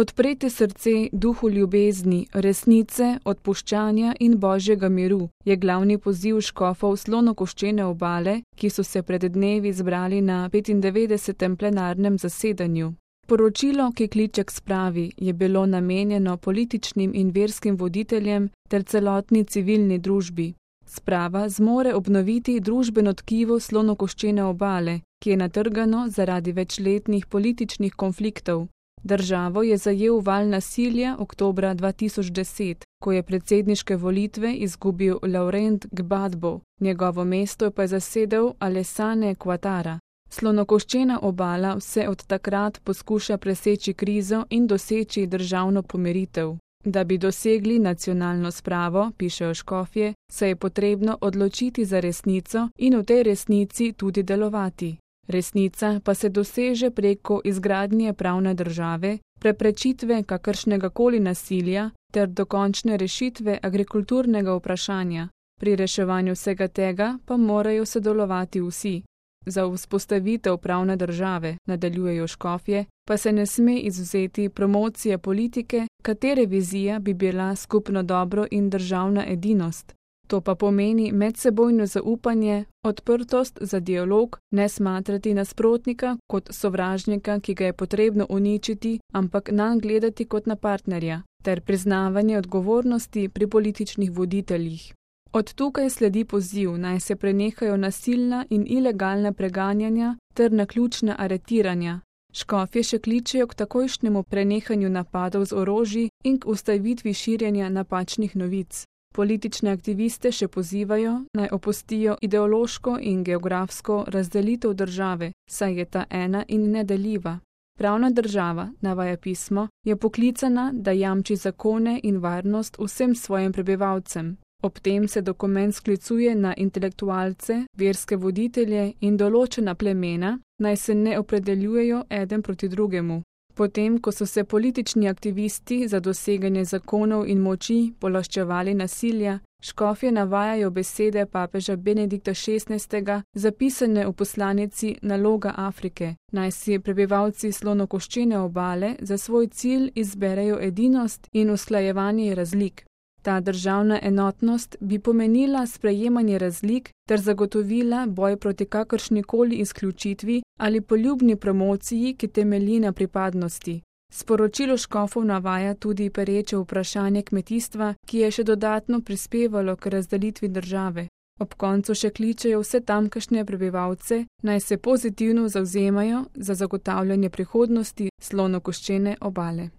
Odpreti srce duhu ljubezni, resnice, odpuščanja in božjega miru je glavni poziv škofov Slonokoščene obale, ki so se pred dnevi zbrali na 95. plenarnem zasedanju. Poročilo, ki kliče k spravi, je bilo namenjeno političnim in verskim voditeljem ter celotni civilni družbi. Sprava zmore obnoviti družbeno tkivo Slonokoščene obale, ki je natrgano zaradi večletnih političnih konfliktov. Državo je zajel val nasilja oktobra 2010, ko je predsedniške volitve izgubil Laurent Gbagbo, njegovo mesto pa je zasedel Alassane Ouattara. Slonokoščena obala vse od takrat poskuša preseči krizo in doseči državno pomiritev. Da bi dosegli nacionalno spravo, pišejo škofje, se je potrebno odločiti za resnico in v tej resnici tudi delovati. Resnica pa se doseže preko izgradnje pravne države, preprečitve kakršnegakoli nasilja ter dokončne rešitve agrikulturnega vprašanja. Pri reševanju vsega tega pa morajo sodelovati vsi. Za vzpostavitev pravne države, nadaljujejo škofje, pa se ne sme izvzeti promocije politike, katere vizija bi bila skupno dobro in državna edinost. To pa pomeni medsebojno zaupanje, odprtost za dialog, ne smatrati nasprotnika kot sovražnika, ki ga je potrebno uničiti, ampak nanj gledati kot na partnerja, ter priznavanje odgovornosti pri političnih voditeljih. Od tukaj sledi poziv, naj se prenehajo nasilna in ilegalna preganjanja ter naključna aretiranja. Škofje še kličejo k takojšnjemu prenehanju napadov z orožji in k ustavitvi širjenja napačnih novic. Politične aktiviste še pozivajo, naj opustijo ideološko in geografsko razdelitev države, saj je ta ena in nedeljiva. Pravna država, navaja pismo, je poklicana, da jamči zakone in varnost vsem svojim prebivalcem. Ob tem se dokument sklicuje na intelektualce, verske voditelje in določena plemena, naj se ne opredeljujejo eden proti drugemu. Potem, ko so se politični aktivisti za doseganje zakonov in moči polaščevali nasilja, škofje navajajo besede papeža Benedikta XVI, zapisane v poslanici Naloga Afrike, naj si prebivalci Slonokoščene obale za svoj cilj izberejo edinost in usklajevanje razlik. Ta državna enotnost bi pomenila sprejemanje razlik ter zagotovila boj proti kakršnikoli izključitvi ali poljubni promociji, ki temelji na pripadnosti. Sporočilo škofov navaja tudi pereče vprašanje kmetijstva, ki je še dodatno prispevalo k razdelitvi države. Ob koncu še kličejo vse tamkajšnje prebivalce, naj se pozitivno zavzemajo za zagotavljanje prihodnosti Slonokoščene obale.